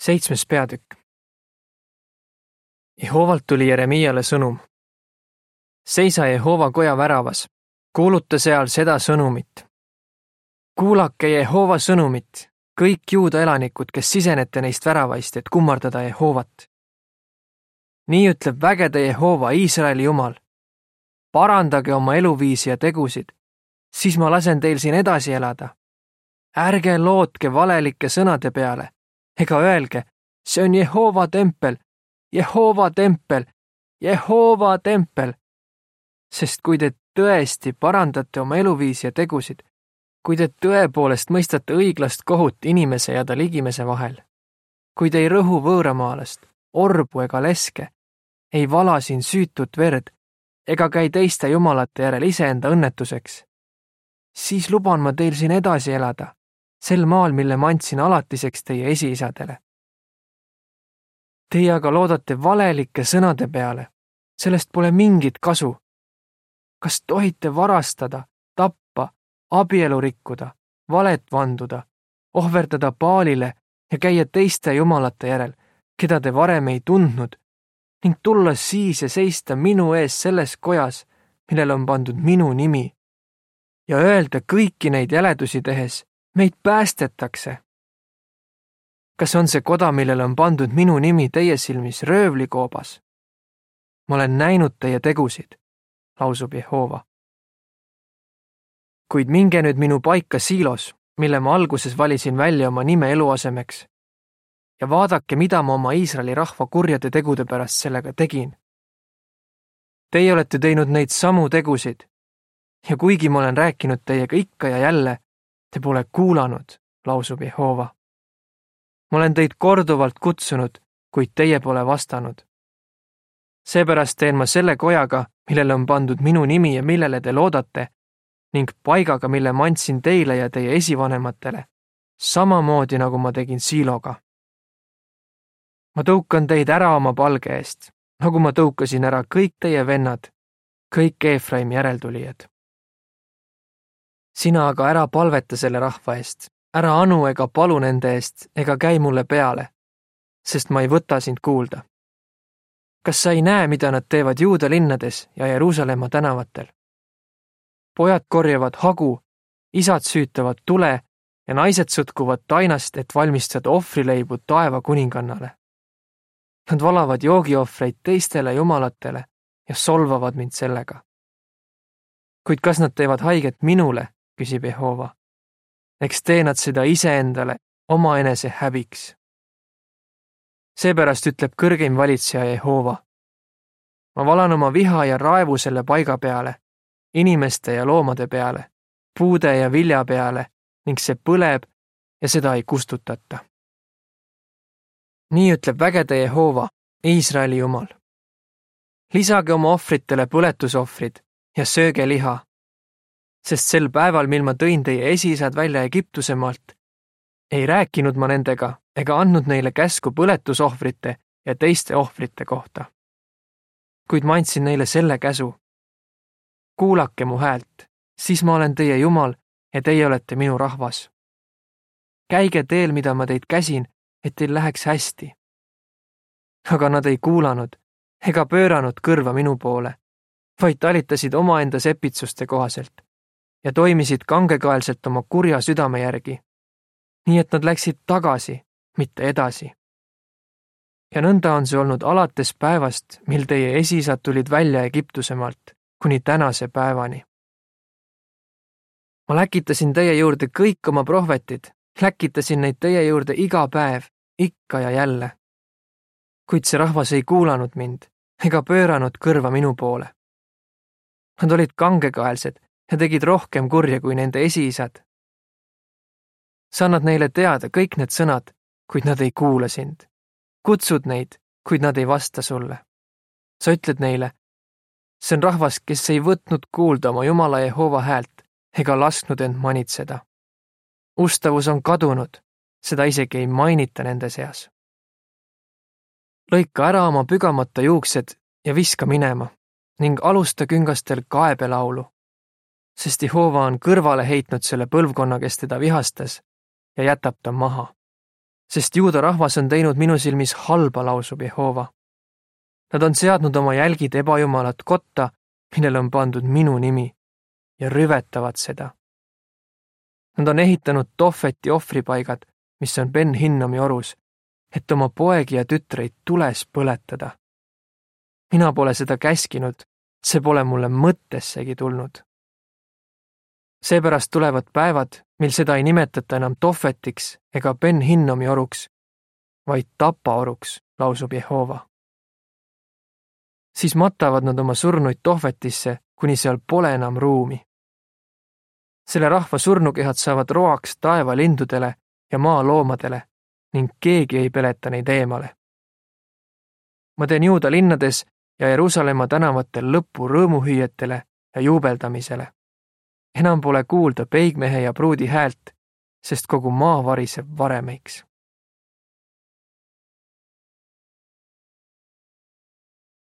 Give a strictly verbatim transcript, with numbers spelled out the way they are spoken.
Seitsmes peatükk. Jehovalt tuli Jeremiale sõnum. Seisa Jehova koja väravas, kuuluta seal seda sõnumit. Kuulake Jehova sõnumit, kõik Juuda elanikud, kes sisenete neist väravaist, et kummardada Jehovat. Nii ütleb vägede Jehova, Iisraeli Jumal. Parandage oma eluviisi ja tegusid, siis ma lasen teil siin edasi elada. Ärge lootke valelike sõnade peale, ega öelge, see on Jehova tempel, Jehova tempel, Jehova tempel. Sest kui te tõesti parandate oma eluviisi ja tegusid, kui te tõepoolest mõistate õiglast kohut inimese ja ta ligimese vahel, kui te ei rõhu võõramaalast, orbu ega leske, ei vala siin süütut verd ega käi teiste jumalate järel iseenda õnnetuseks, siis luban ma teil siin edasi elada, sel maal, mille ma andsin alatiseks teie esiisadele. Teie aga loodate valelike sõnade peale, sellest pole mingit kasu. Kas tohite varastada, tappa, abielu rikkuda, valet vanduda, ohverdada Baalile ja käia teiste jumalate järel, keda te varem ei tundnud, ning tulla siis ja seista minu ees selles kojas, millele on pandud minu nimi, ja öelda kõiki neid jäledusi tehes, meid päästetakse. Kas on see koda, millele on pandud minu nimi teie silmis röövlikoobas? Ma olen näinud teie tegusid, lausub Jehova. Kuid minge nüüd minu paika Siilos, mille ma alguses valisin välja oma nime eluasemeks, ja vaadake, mida ma oma Iisraeli rahva kurjade tegude pärast sellega tegin. Teie olete teinud neid samu tegusid, ja kuigi ma olen rääkinud teiega ikka ja jälle, te pole kuulanud, lausub Jehova. Ma olen teid korduvalt kutsunud, kuid teie pole vastanud. Seepärast teen ma selle kojaga, millele on pandud minu nimi ja millele te loodate, ning paigaga, mille ma andsin teile ja teie esivanematele, samamoodi nagu ma tegin Siiloga. Ma tõukan teid ära oma palge eest, nagu ma tõukasin ära kõik teie vennad, kõik Eefraimi järeltulijad. Sina aga ära palveta selle rahva eest, ära anu ega palu nende eest ega käi mulle peale, sest ma ei võta sind kuulda. Kas sa ei näe, mida nad teevad Juuda linnades ja Jeruusalemma tänavatel? Pojad korjavad hagu, isad süütavad tule ja naised sõtkuvad tainast, et valmistada ohvrileibu taeva kuningannale. Nad valavad joogiohvreid teistele jumalatele ja solvavad mind sellega. Kuid kas nad teevad haiget minule, küsib Jehova. Eks tee nad seda iseendale oma enese häbiks. Seepärast ütleb kõrgeim valitseja Jehova. Ma valan oma viha ja raevu selle paiga peale, inimeste ja loomade peale, puude ja vilja peale, ning see põleb ja seda ei kustutata. Nii ütleb vägede Jehova, Iisraeli Jumal. Lisage oma ohvritele põletusohvrid ja sööge liha, sest sel päeval, mil ma tõin teie esiisad välja Egiptusemaalt, ei rääkinud ma nendega ega andnud neile käsku põletusohvrite ja teiste ohvrite kohta. Kuid ma andsin neile selle käsu. Kuulake mu häält, siis ma olen teie Jumal ja teie olete minu rahvas. Käige teel, mida ma teid käsin, et teil läheks hästi. Aga nad ei kuulanud ega pööranud kõrva minu poole, vaid talitasid omaenda sepitsuste kohaselt ja toimisid kangekaelselt oma kurja südame järgi, nii et nad läksid tagasi, mitte edasi. Ja nõnda on see olnud alates päevast, mil teie esiisad tulid välja Egiptusemaalt, kuni tänase päevani. Ma läkitasin teie juurde kõik oma prohvetid, läkitasin neid teie juurde iga päev, ikka ja jälle. Kuid see rahvas ei kuulanud mind ega pööranud kõrva minu poole. Nad olid kangekaelsed ja tegid rohkem kurja kui nende esiisad. Sa annad neile teada kõik need sõnad, kuid nad ei kuula sind. Kutsud neid, kuid nad ei vasta sulle. Sa ütled neile, see on rahvas, kes ei võtnud kuulda oma Jumala Jehova häält ega lasknud end manitseda. Ustavus on kadunud, seda isegi ei mainita nende seas. Lõika ära oma pügamata juuksed ja viska minema ning alusta küngastel kaebelaulu, sest Jehova on kõrvale heitnud selle põlvkonna, kes teda vihastas, ja jätab ta maha. sest juuda rahvas on teinud minu silmis halba, lausub Jehova. Nad on seadnud oma jälgid ebajumalat kotta, millele on pandud minu nimi, ja rüvetavad seda. Nad on ehitanud Tofeti ohvripaigad, mis on Ben Hinnomi orus, et oma poegi ja tütreid tules põletada. Mina pole seda käskinud, see pole mulle mõttessegi tulnud. Seepärast tulevad päevad, mil seda ei nimetata enam Tofetiks ega Ben Hinnomi oruks, vaid Tapa oruks, lausub Jehova. Siis matavad nad oma surnuid Tofetisse, kuni seal pole enam ruumi. Selle rahva surnukehad saavad roaks taevalindudele ja maaloomadele ning keegi ei peleta neid eemale. Ma teen Juuda linnades ja Jeruusalemma tänavatel lõppu rõõmuhüüetele ja juubeldamisele. Enam pole kuulda peigmehe ja pruudi häält, sest kogu maa variseb varemeiks.